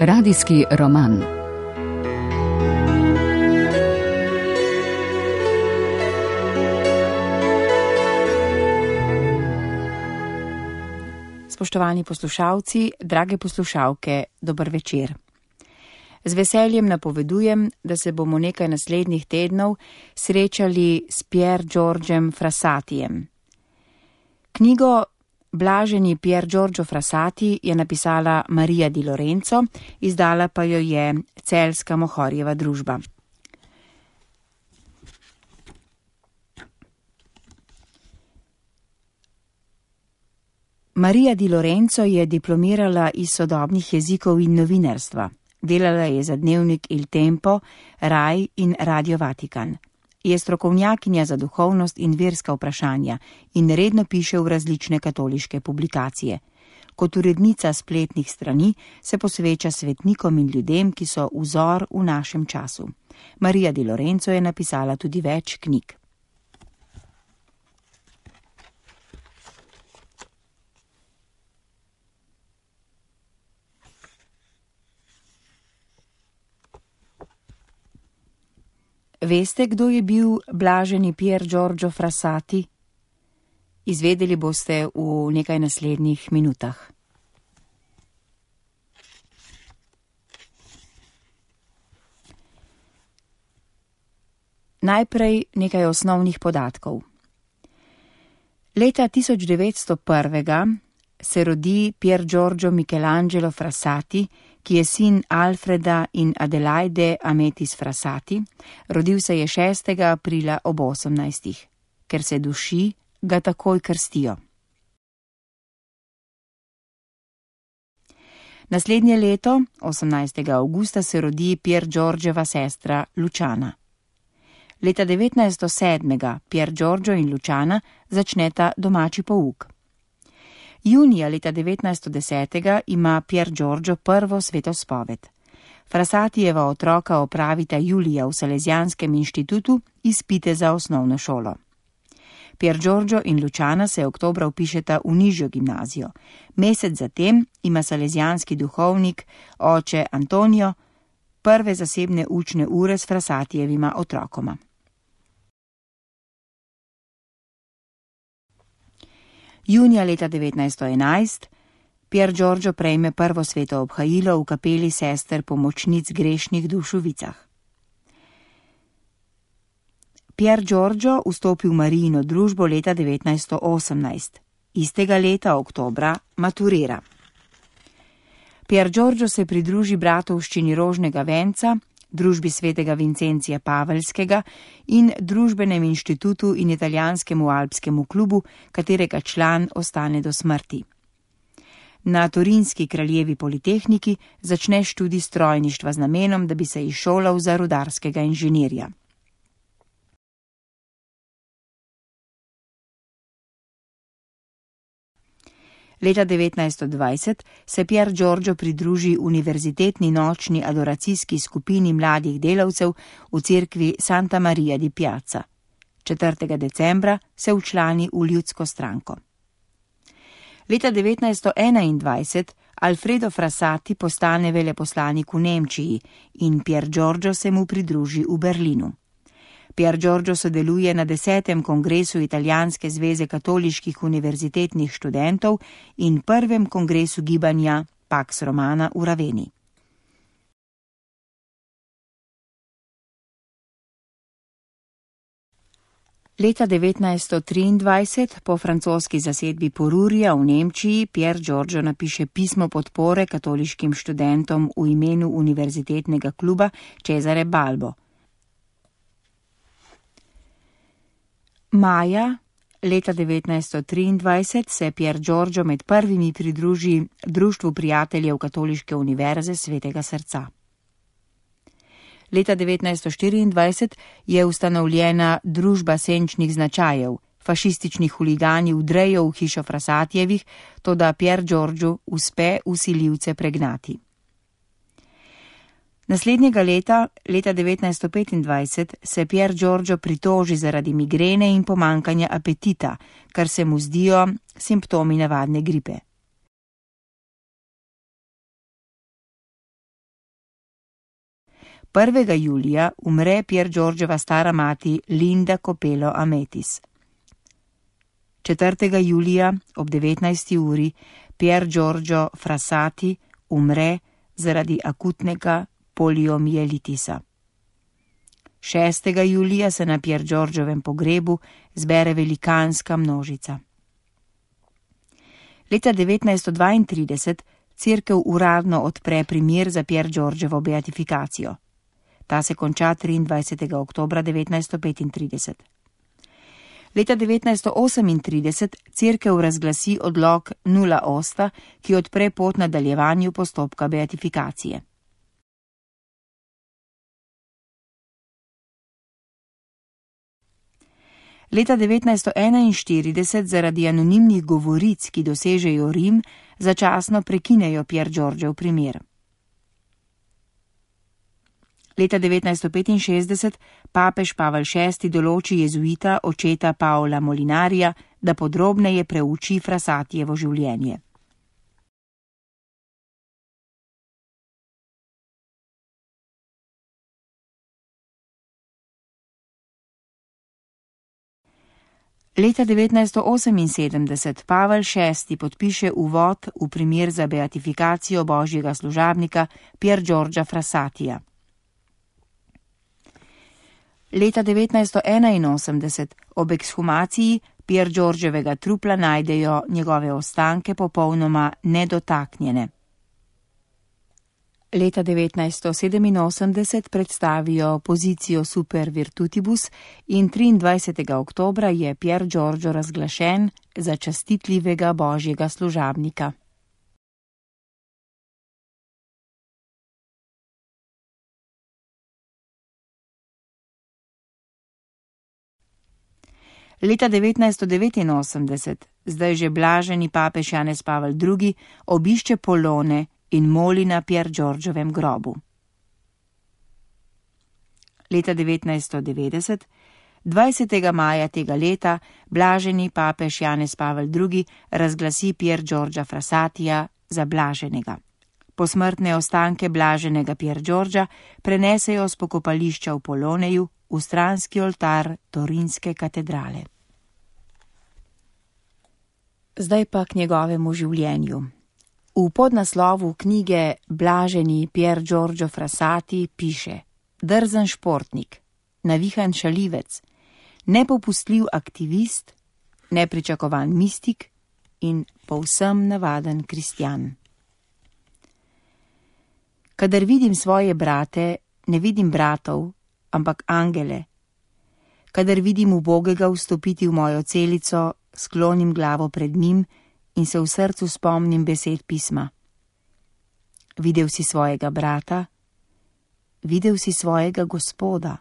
Radijski roman. Spoštovani poslušalci, drage poslušalke, dober večer. Z veseljem napovedujem, da se bomo nekaj naslednjih tednov srečali s Pier Giorgiem Frassatijem. Knjigo Blaženi Pier Giorgio Frassati je napisala Marija Di Lorenzo, izdala pa jo je Celjska Mohorjeva družba. Marija Di Lorenzo je diplomirala iz sodobnih jezikov in novinarstva. Delala je za dnevnik Il Tempo, Rai in Radio Vatikan. Je strokovnjakinja za duhovnost in verska vprašanja in redno piše v različne katoliške publikacije. Kot urednica spletnih strani se posveča svetnikom in ljudem, ki so vzor v našem času. Marija Di Lorenzo je napisala tudi več knjig. Veste, kdo je bil blaženi Pier Giorgio Frassati? Izvedeli boste v nekaj naslednjih minutah. Najprej nekaj osnovnih podatkov. Leta 1901 se rodi Pier Giorgio Michelangelo Frassati, ki je sin Alfreda in Adelaide Ametis Frassati. Rodil se je 6. aprila ob 18. Ker se duši, ga takoj krstijo. Naslednje leto, 18. avgusta, se rodi Pier Giorgiova sestra Luciana. Leta 1907. Pier Giorgio in Luciana začneta domači pouk. Junija leta 1910. ima Pier Giorgio prvo svetospoved. Frassatijeva otroka opravita julija v Salesianskem inštitutu izpite za osnovno šolo. Pier Giorgio in Luciana se oktobra vpišeta v nižjo gimnazijo. Mesec zatem ima salesijanski duhovnik, oče Antonio, prve zasebne učne ure s Frassatijevima otrokoma. Junija leta 1911 Pier Giorgio prejme prvo sveto obhajilo v kapeli sester pomočnic grešnih duš v Vicah. Pier Giorgio vstopi v Marijino družbo leta 1918. Istega leta, oktobra, maturira. Pier Giorgio se pridruži bratovščini Rožnega venca, družbi svetega Vincencija Pavelskega in družbenem inštitutu in italijanskemu alpskemu klubu, katerega član ostane do smrti. Na Torinski kraljevi politehniki začne študij strojništva z namenom, da bi se izšolal za rudarskega inženirja. Leta 1920 se Pier Giorgio pridruži univerzitetni nočni adoracijski skupini mladih delavcev v cerkvi Santa Maria di Piazza. 4. decembra se včlani v ljudsko stranko. Leta 1921 Alfredo Frassati postane veleposlanik v Nemčiji in Pier Giorgio se mu pridruži v Berlinu. Pier Giorgio sodeluje na 10. kongresu Italijanske zveze katoliških univerzitetnih študentov in 1. kongresu gibanja Pax Romana v Raveni. Leta 1923 po francoski zasedbi Porurija v Nemčiji Pier Giorgio napiše pismo podpore katoliškim študentom v imenu univerzitetnega kluba Cesare Balbo. Maja leta 1923 se Pier Giorgio med prvimi pridruži Društvu prijateljev Katoliške univerze Svetega srca. Leta 1924 je ustanovljena Družba senčnih značajev. Fašistični huligani vdrejo v hišo Frassatijevih, toda Pier Giorgio uspe vsiljivce pregnati. Naslednjega leta 1925, se Pier Giorgio pritoži zaradi migrene in pomankanja apetita, kar se mu zdijo simptomi navadne gripe. 1. julija umre Pier Giorgiova stara mati Linda Copelo Ametis. 4. julija ob 19. uri Pier Giorgio Frassati umre zaradi akutnega poliomielitisa. 6. julija se na Pier Giorgiovem pogrebu zbere velikanska množica. Leta 1932 cerkev uradno odpre primer za Pier Giorgiovo beatifikacijo. Ta se konča 23. oktobra 1935. Leta 1938 cerkev razglasi odlok Nulla Osta, ki odpre pot nadaljevanju postopka beatifikacije. Leta 1941 zaradi anonimnih govoric, ki dosežejo Rim, začasno prekinejo Pier Giorgiev primer. Leta 1965 papež Pavel VI določi jezuita očeta Paola Molinarija, da podrobneje preuči Frassatijevo življenje. Leta 1978 Pavel VI podpiše uvod v primer za beatifikacijo božjega služabnika Pier Giorgia Frassatija. Leta 1981 ob ekshumaciji Pier Giorgiovega trupla najdejo njegove ostanke popolnoma nedotaknjene. Leta 1987 predstavijo pozicijo Super Virtutibus in 23. oktobra je Pier Giorgio razglašen za častitljivega božjega služabnika. Leta 1989, zdaj že blaženi papež Janez Pavel II, obišče Polone in moli na Pier Giorgiovem grobu. Leta 1990, 20. maja tega leta, blaženi papež Janez Pavel II razglasi Pier Giorgia Frassatija za blaženega. Posmrtne ostanke blaženega Pier Giorgia prenesejo s pokopališča v Poloneju v stranski oltar Torinske katedrale. Zdaj pa k njegovemu življenju. V podnaslovu knjige Blaženi Pier Giorgio Frassati piše: drzen športnik, navihan šalivec, nepopustljiv aktivist, nepričakovan mistik in povsem navaden kristjan. Kadar vidim svoje brate, ne vidim bratov, ampak angele. Kadar vidim ubogega vstopiti v mojo celico, sklonim glavo pred njim in se v srcu spomnim besed pisma. Videl si svojega brata, videl si svojega Gospoda.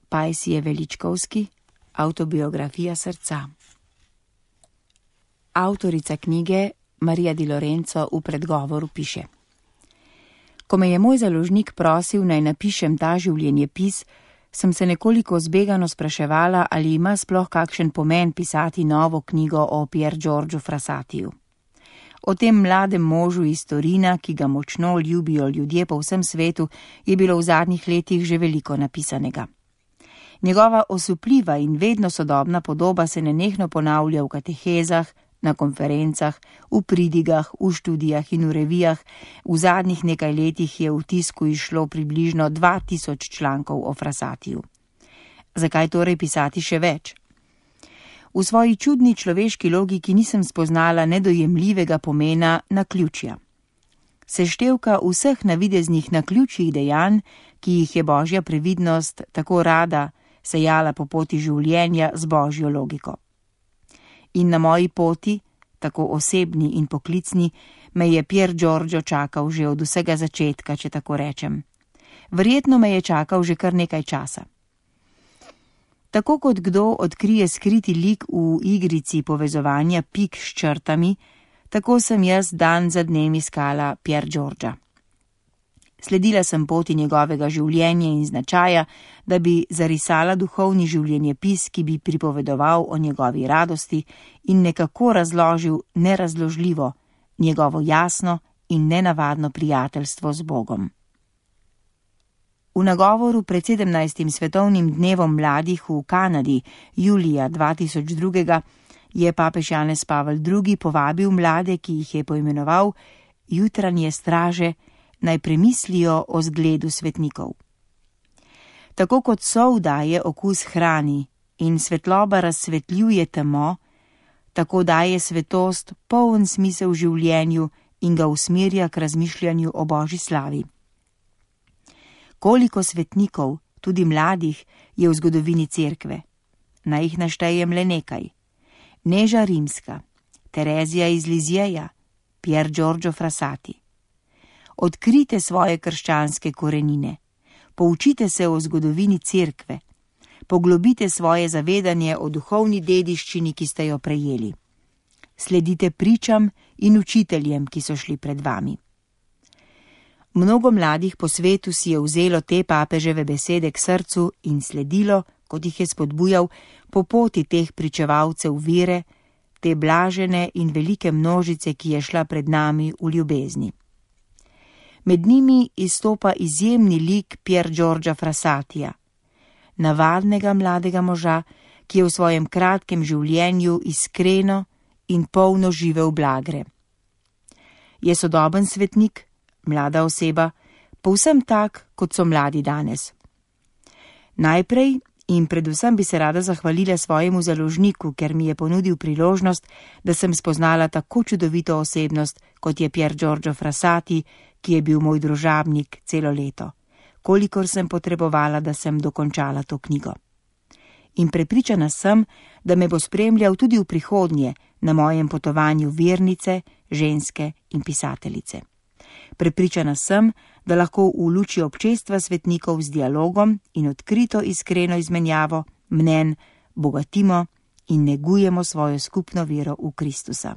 Pajsije Veličkovski, Avtobiografija srca. Avtorica knjige Marija Di Lorenzo v predgovoru piše: Ko me je moj založnik prosil, naj napišem ta življenjepis, sem se nekoliko zbegano spraševala, ali ima sploh kakšen pomen pisati novo knjigo o Pier Giorgiu Frassatiju. O tem mladem možu iz Torina, ki ga močno ljubijo ljudje po vsem svetu, je bilo v zadnjih letih že veliko napisanega. Njegova osupljiva in vedno sodobna podoba se nenehno ponavlja v katehezah, na konferencah, v pridigah, v študijah in v revijah. V zadnjih nekaj letih je v tisku izšlo približno 2000 člankov o Frassatiju. Zakaj torej pisati še več? V svoji čudni človeški logiki nisem spoznala nedojemljivega pomena naključja. Seštevka vseh navideznih naključjih dejanj, ki jih je božja previdnost tako rada sejala po poti življenja z božjo logiko. In na moji poti, tako osebni in poklicni, me je Pier Giorgio čakal že od vsega začetka, če tako rečem. Verjetno me je čakal že kar nekaj časa. Tako kot kdo odkrije skriti lik v igrici povezovanja pik s črtami, tako sem jaz dan za dnem iskala Pier Giorgia. Sledila sem poti njegovega življenja in značaja, da bi zarisala duhovni življenjepis, ki bi pripovedoval o njegovi radosti in nekako razložil nerazložljivo, njegovo jasno in nenavadno prijateljstvo z Bogom. V nagovoru pred 17. svetovnim dnevom mladih v Kanadi julija 2002 je papež Janez Pavel II. Povabil mlade, ki jih je poimenoval jutranje straže, naj premislijo o zgledu svetnikov. Tako kot sol daje okus hrani in svetloba razsvetljuje temo, tako daje svetost poln smisel življenju in ga usmerja k razmišljanju o Božji slavi. Koliko svetnikov, tudi mladih, je v zgodovini cerkve? Naj jih naštejem le nekaj. Neža Rimska, Terezija iz Lizjeja, Pier Giorgio Frassati. Odkrite svoje krščanske korenine, poučite se o zgodovini cerkve, poglobite svoje zavedanje o duhovni dediščini, ki ste jo prejeli. Sledite pričam in učiteljem, ki so šli pred vami. Mnogo mladih po svetu si je vzelo te papeževe besede k srcu in sledilo, kot jih je spodbujal, po poti teh pričevalcev vere, te blažene in velike množice, ki je šla pred nami v ljubezni. Med njimi izstopa izjemni lik Pier Giorgia Frassatija, navadnega mladega moža, ki je v svojem kratkem življenju iskreno in polno živel blagre. Je sodoben svetnik, mlada oseba, povsem tak, kot so mladi danes. Najprej in predvsem bi se rada zahvalila svojemu založniku, ker mi je ponudil priložnost, da sem spoznala tako čudovito osebnost, kot je Pier Giorgio Frassati, ki je bil moj družabnik celo leto, kolikor sem potrebovala, da sem dokončala to knjigo. In prepričana sem, da me bo spremljal tudi v prihodnje na mojem potovanju vernice, ženske in pisateljice. Prepričana sem, da lahko v luči občestva svetnikov z dialogom in odkrito iskreno izmenjavo mnenj bogatimo in negujemo svojo skupno vero v Kristusa.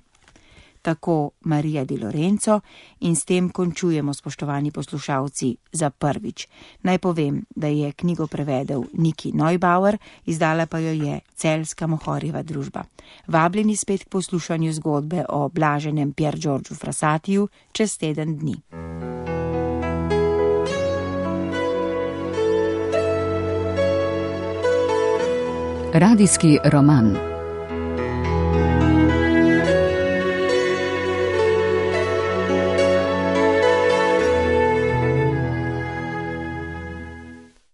Tako Marija di Lorenzo in s tem končujemo, spoštovani poslušalci, za prvič. Naj povem, da je knjigo prevedel Niki Neubauer, izdala pa jo je Celjska Mohorjeva družba. Vabljeni spet k poslušanju zgodbe o blaženem Pier Giorgiu Frassatiju čez teden dni. Radijski roman.